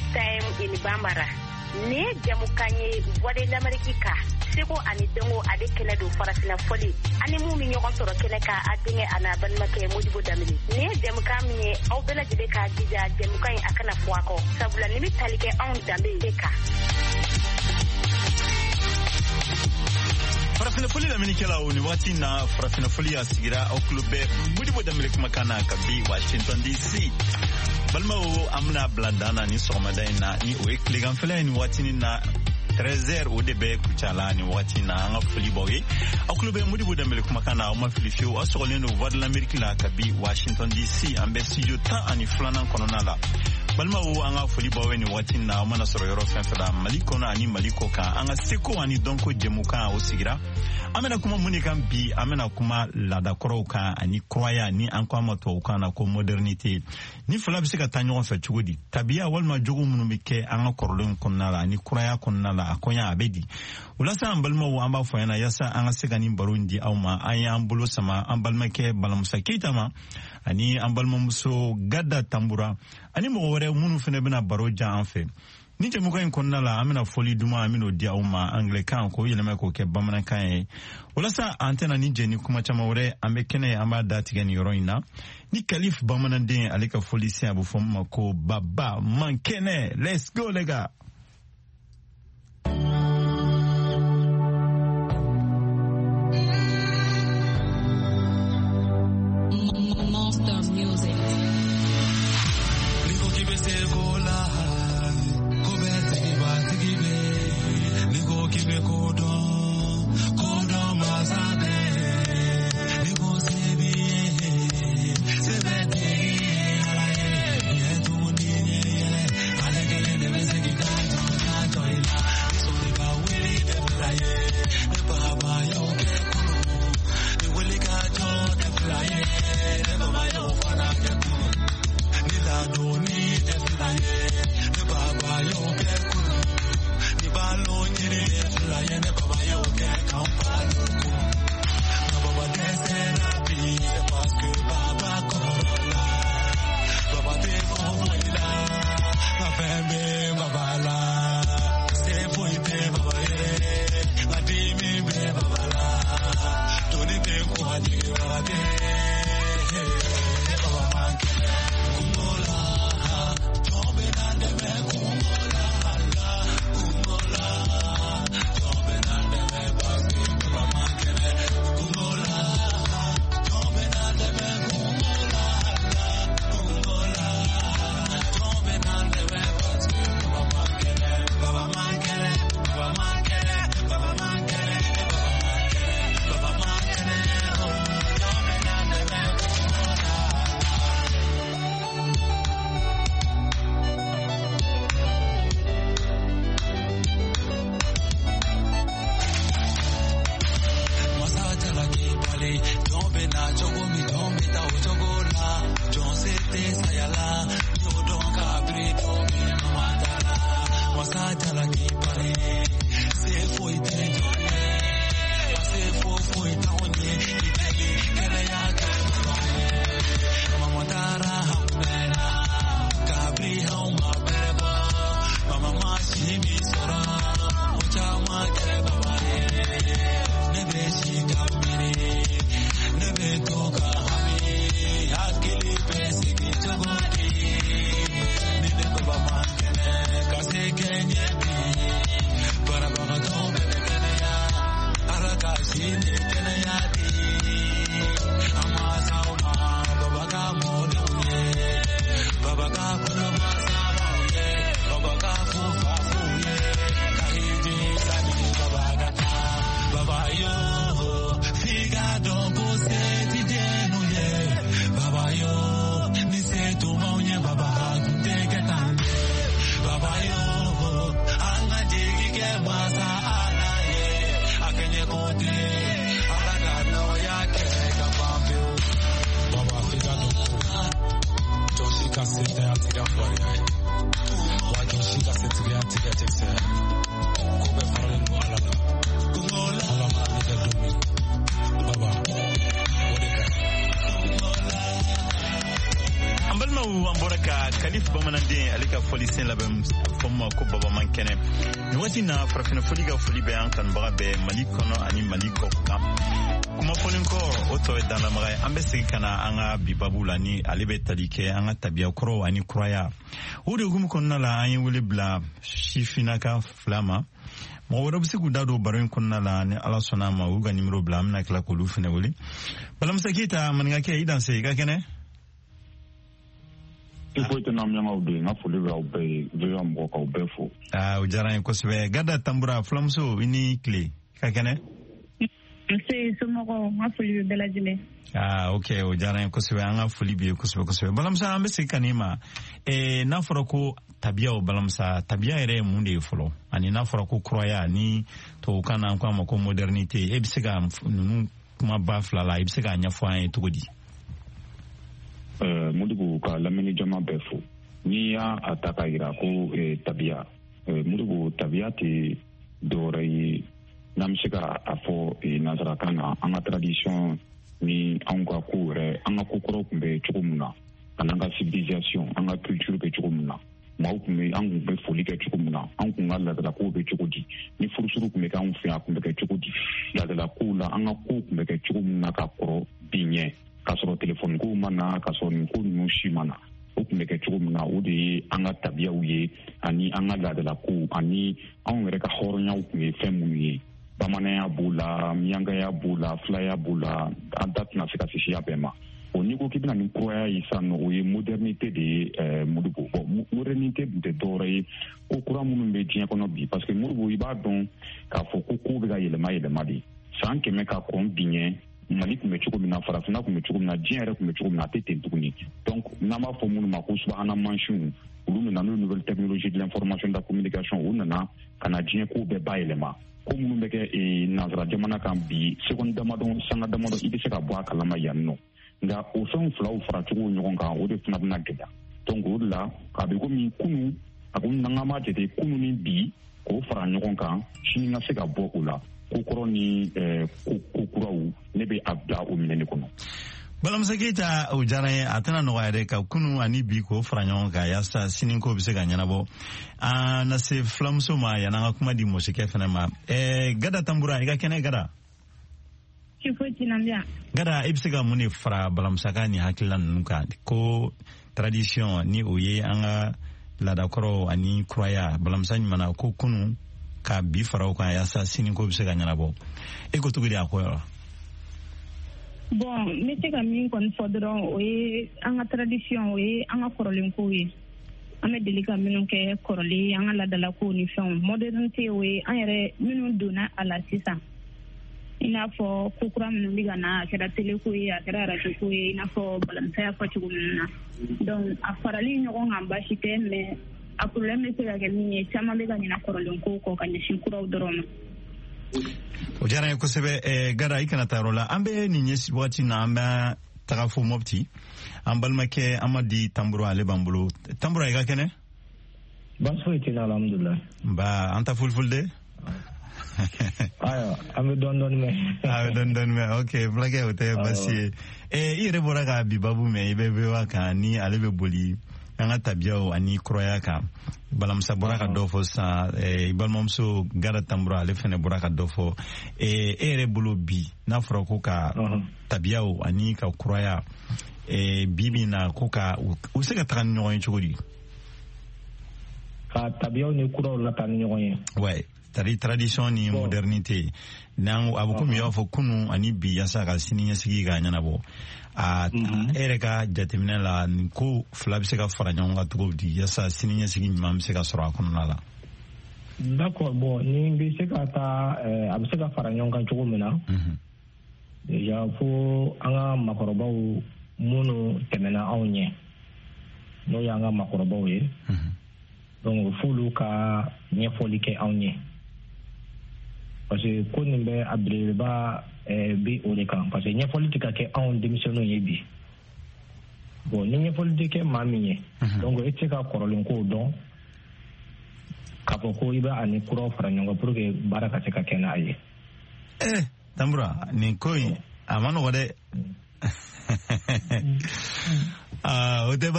Big Time in Bambara. Nin ye jamukan ye Voix de l'Amérique kan, seko ani dɔnko ale kɛnɛ don farafinna fɔli ani mun bɛ ɲɔgɔn sɔrɔ kɛnɛ kan, a denkɛ a n'a balimakɛ Modibo Danbele. Nin ye jamukan min ye, aw bɛɛ lajɛlen k'a jija jamukan in a kana fɔ a kɔ, sabula nin bɛ tali kɛ anw danbe de kan. Farafinna fɔli lamɛnnikɛlaw, nin waati na farafinna fɔli a sigira, aw tulo bɛ Modibo Danbele kumakan na ka bi Washington DC. Balimaw, an bɛna bila dan na ni sɔgɔmada in na, ni o ye tileganfɛla ye nin waatinin na, 13h o de bɛ Kucala nin waati na. An ka foli b'aw ye, aw tulo bɛ Modibo Danbele kumakan na, aw ma fili fiyewu, aw sɔgɔlen don Voix de l'Amérique la ka bi Washington DC, an bɛ studio 12nan kɔnɔna la. Balimaw, an ka foli b'aw ye nin waati na, aw mana sɔrɔ yɔrɔ fɛn fɛn la Mali kɔnɔ ani Mali kɔ kan. An ka seko ani dɔnko jɛmukan o sigira. An bɛna kuma mun de kan bi? An bɛna kuma laadakɔrɔw kan ani kuraya, ni an ko a ma tubabukan na ko modernité. Ni fila bɛ se ka taa ɲɔgɔn fɛ cogo di? Tabiya walima jogo minnu bɛ kɛ an ka kɔrɔlenw kɔnɔna la ani kuraya kɔnɔna la, a kɔɲa a bɛ di? O la sa, an balimaw, an b'a fɔ ɲɛna, yaasa an ka se ka nin baro in di aw ma, an y'an bolo sama an balimakɛ Balamusa Keyita ma ani an balimamuso Gada Tanbura ani mɔgɔ wɛrɛ minnu fana bɛna baro jan an fɛ. Ni jɛmukan in kɔnɔna la, an bɛna fɔli duman, an bɛn'o di aw ma anglɛkan k'o yɛlɛma k'o kɛ bamanankan ye. Walasa an tɛna ni jɛ ni kuma caman wɛrɛ, an bɛ kɛnɛ, an b'a datigɛ nin yɔrɔ in na ni Kalif bamananden ale ka fɔli sen, a bɛ fɔ min ma ko Baba Mankɛnɛ. Let's go les gars. Monster Music. N'i ko k'i bɛ se ko la, ko bɛɛ tigi b'a tigi bɛ. N'i ko k'i bɛ ko dɔn, ko dɔn masa bɛ. N'i ko se b'i ye, se bɛ tigi ye Ala ye. Ɲɛ tugun ni ɲɛ yɛlɛ, ale kelen de bɛ se k'i ka jɔn jɔ i la. Ni sɔnni ka wuli tɛ fila ye, ne baba y'o kɛ kunun. Ni wuli ka jɔ tɛ fila ye, ne baba y'o fana kɛ kunun. Ni ladonni tɛ fila ye, ne baba y'o kɛ kunun. Ni balo ɲini tɛ fila ye, ne baba y'o kɛ k'an balo kunun. Nka baba dɛsɛra bi, c'est parce que baba kɔrɔla. Baba tɛ fɔ foyi la, nka fɛn bɛ baba la. Se foyi tɛ baba ye, nka dimi bɛ baba la. Doni tɛ ko a jigi baba tɛ, baba man kɛnɛ. Kungo la, jɔn bɛ na dɛmɛ kungo la, kungo la, jɔn bɛ na dɛmɛ parce que baba man kɛnɛ. Kungo la, jɔn bɛ na dɛmɛ kungo la, kungo la, jɔn bɛ na dɛmɛ parce que baba man kɛnɛ. Baba man kɛnɛ, baba man kɛnɛ, baba man kɛnɛ, baba man kɛnɛ, baba man kɛnɛ, oh, jɔn bɛ na dɛmɛ kungo la. Masa jalaki bali, jɔn bɛ na cogo min, jɔn bɛ taa o cogo la. Jɔn se tɛ saya la, n y'o dɔn kabiri don min mama taara. Masa jalaki bali, se foyi tɛ jɔn ye, wa se foyi foyi t'anw ye. I deli kɛnɛya kɛ mama ye. Mama taara anw bɛɛ la, kabiri anw ma bɛrɛ bɔ. Mama ma si min sɔrɔ, o caman kɛ baba ye. Ne bɛ si ka miiri, ne bɛ to ka hami, hakili bɛ sigi cogo di? Ni ne baba man kɛnɛ, ka se kɛ ɲɛ bi. Banabagatɔ bɛɛ bɛ kɛnɛya, Ala ka si ni kɛnɛya di. An mansaw ma, baba ka mɔdenw ye, baba ka kɔnɔmasabaw ye, baba ka fufafuw ye, ka hiji sani baba ka taa. Baba yo, f'i ka dɔn ko se ti dennu ye. Baba yo, ni se tun b'anw ye, baba tun tɛ kɛ tan dɛ. Baba yo, an ka jigi kɛ masa Ala ye. A kɛɲɛ ko tɛ, Ala ka nɔgɔya kɛ ka ban pewu. Baba f'i ka dɔn ko jɔn si ka se tɛ a tigi ka fugariya ye, wa jɔn si ka setigiya tɛ kɛ cɛkisɛ ye. Ko bɛɛ faralen don Ala la. Ala mana ne kɛ don min, baba, o de ka ɲi. An Balimaw, an bɔra ka Kalif Bamananden ale ka fɔlisen labɛn fɔ ma ko Baba man kɛnɛ. Nin waati na, Farafinna Foli ka foli bɛ an kanubaga bɛɛ Mali kɔnɔ ani Mali kɔ kan. Kuma fɔlen kɔ, o tɔ ye danlamaga ye. An bɛ segin ka na an ka bi babu la, ni ale bɛ tali kɛ an ka tabiya kɔrɔw ani kuraya. O de hukumu kɔnɔna la, an ye wele bila sifinnaka fila ma. Mɔgɔ wɛrɛ bɛ se k'u da don baro in kɔnɔna la, ni Ala sɔnna a ma, u y'u ka nimero bila, an bɛna tila k'olu fɛnɛ wele. Balamusa Keyita, maninkakɛ, i danse, i ka kɛnɛ? I foyi tɛ n'an don. N ka foli bɛ aw bɛɛ ye, VOA mɔgɔ, k'aw bɛɛ fo. Aa, o diyara n ye kosɛbɛ. Gada Tanbura, fulamuso, i ni tile, i ka kɛnɛ? Nse, somɔgɔw? N ka foli bɛ bɛɛ lajɛlen. Aa, ok, o diyara n ye kosɛbɛ. An ka foli b'i ye kosɛbɛ kosɛbɛ. Balamusa, an bɛ segin ka n'i ma. N'a fɔra ko tabiyaw, Balamusa, tabiya yɛrɛ ye mun de ye fɔlɔ? Ani n'a fɔra ko kuraya, ni tubabukan na an ko a ma ko modernité, e bɛ se ka ninnu kumaba fila la, i bɛ se k'a ɲɛfɔ an ye cogo di? Modibo, ka lamɛnni jama bɛɛ fo. N'i y'a a ta k'a yira ko tabiya, Modibo, tabiya tɛ dɔwɛrɛ ye, n'an bɛ se ka a fɔ nansarakan na, an ka tradition ni anw ka ko yɛrɛ, an ka ko kɔrɔw tun bɛ cogo min na, ani an ka civilisation, an ka culture bɛ cogo min na, maaw tun bɛ, an tun bɛ foli kɛ cogo min na, an tun ka laadalakow bɛ cogo di, ni furusuru tun bɛ kɛ anw fɛ yan, a tun bɛ kɛ cogo di, laadalakow la, an ka kow tun bɛ kɛ cogo min na ka kɔrɔ bi ɲɛ, k'a sɔrɔ telefɔni kow ma na, k'a sɔrɔ nin ko ninnu si ma na, o tun bɛ kɛ cogo min na, o de ye an ka tabiyaw ye, ani an ka laadalakow, ani anw yɛrɛ ka hɔrɔnyaw tun ye fɛn minnu ye. Bamananya b'o la, miyankaya b'o la, filaya b'o la, an da tɛna se ka se siya bɛɛ ma. O n'i ko k'i bɛna ni kuraya ye sisan nɔ, o ye modernité de ye, Modibo. Bon, modernité dun tɛ dɔwɛrɛ ye ko kura minnu bɛ diɲɛ kɔnɔ bi, parce que Modibo, i b'a dɔn k'a fɔ ko kow bɛ ka yɛlɛma yɛlɛma de. San 100 ka kɔn bi ɲɛ, Mali tun bɛ cogo min na, Farafinna tun bɛ cogo min na, diɲɛ yɛrɛ tun bɛ cogo min na, a tɛ ten tuguni. Donc n'an b'a fɔ minnu ma ko subahana mansinw, olu nana n'o nouvelle technologie de l'information, de la communication, u nana ka na diɲɛ kow bɛɛ bayɛlɛma. Ko minnu bɛ kɛ nansara jamana kan bi, seconde damadɔ, sanga damadɔ, i bɛ se ka bɔ a kalama yan nɔ. Nka o fɛnw filaw fara cogo ɲɔgɔn kan, o de fana bɛna gɛlɛya. Donc o de la, a bɛ komi kunu, a ko n'an k'an b'a jate kunu ni bi k'o fara ɲɔgɔn kan, sini ka se ka bɔ o la, ko kɔrɔ ni ko kuraw, ne bɛ a bila o minɛ de kɔnɔ. Balamusa Keyita, o diyara n ye. A tɛna nɔgɔya dɛ, ka kunu ani bi k'o fara ɲɔgɔn kan yaasa sini ko bɛ se ka ɲɛnabɔ. An na se fulamuso ma yan'an ka kuma di mɔsikɛ fɛnɛ ma. Gada Tanbura, i ka kɛnɛ, Gada? Foyi tɛ na. Gada, i bɛ se ka mun de fara Balamusa ka nin hakilila ninnu kan, ko tradition, ni o ye an ka laadakɔrɔw, ani kuraya? Balamusa ɲumanna ko kunu ka bi fara o kan yaasa sini ko bɛ se ka ɲɛnabɔ. E ko cogo di a ko yɔrɔ? Bon, n bɛ se ka min kɔni fɔ dɔrɔn, o ye an ka tradition, o ye an ka kɔrɔlen kow ye, an bɛ deli ka minnu kɛ kɔrɔlen, an ka laadalakow ni fɛnw. Modernité, o ye an yɛrɛ minnu donna a la sisan, i n'a fɔ ko kura minnu bɛ ka na, a kɛra télé ko ye, a kɛra radio ko ye, i n'a fɔ Balamusa y'a fɔ cogo minnu na. Donc a farali ɲɔgɔn kan, baasi tɛ, mais a problème bɛ se ka kɛ min ye, caman bɛ ka ɲina kɔrɔlen kow kɔ ka ɲɛsin kuraw dɔrɔn ma. O diyara n ye kosɛbɛ. Gada, i kana taa yɔrɔ la. An bɛ nin ɲɛ wagati na, an bɛ taga fo Mɔpti. An balimakɛ Amadi Tanbura, ale b'an bolo. Tanbura, i ka kɛnɛ? Baasi foyi tɛ n na, alhamdulilah. Nba, an ta folifoli de. Ayiwa, an bɛ dɔɔni dɔɔni mɛn. A bɛ dɔɔni dɔɔni mɛn, ok, fulakɛ, o tɛ baasi ye. I yɛrɛ bɔra ka bi babu mɛn, i bɛ VOA kan, ni ale bɛ boli an ka tabiyaw ani kuraya kan. Balamusa bɔra ka dɔ fɔ sisan, i balimamuso Gada Tanbura, ale fɛnɛ bɔra ka dɔ fɔ. E yɛrɛ bolo bi, n'a fɔra ko ka tabiyaw ani ka kuraya, bi bi na, ko ka u bɛ se ka taga ni ɲɔgɔn ye cogo di? Ka tabiyaw ni kuraw lataa ni ɲɔgɔn ye? Ouais, c'est-à-dire tradition ni modernité, n'an a bɛ komi i b'a fɔ kunu ani bi, yaasa ka sini ɲɛsigi ka ɲɛnabɔ. A e yɛrɛ ka jateminɛ la, nin ko fila bɛ se ka fara ɲɔgɔn kan cogo di, yaasa sini ɲɛsigi ɲuman bɛ se ka sɔrɔ a kɔnɔna la? D'accord, bon, ni bɛ se ka taa, a bɛ se ka fara ɲɔgɔn kan cogo min na, déjà fo an ka makɔrɔbaw minnu tɛmɛna anw ɲɛ, n'o y'an ka makɔrɔbaw ye, donc f'olu ka ɲɛfɔli kɛ anw ye, parce que ko nin bɛ a belebeleba bi o de kan, parce que ɲɛfɔli tɛ ka kɛ anw denmisɛnninw ye bi. Bon, ni ɲɛfɔli tɛ kɛ maa min ye, donc e tɛ se ka kɔrɔlen kow dɔn k'a fɔ ko i bɛ a ni kuraw fara ɲɔgɔn kan pour que baara ka se ka kɛ n'a ye. Eh, Tambura, nin ko in a ma nɔgɔ dɛ. Ah, o tɛ.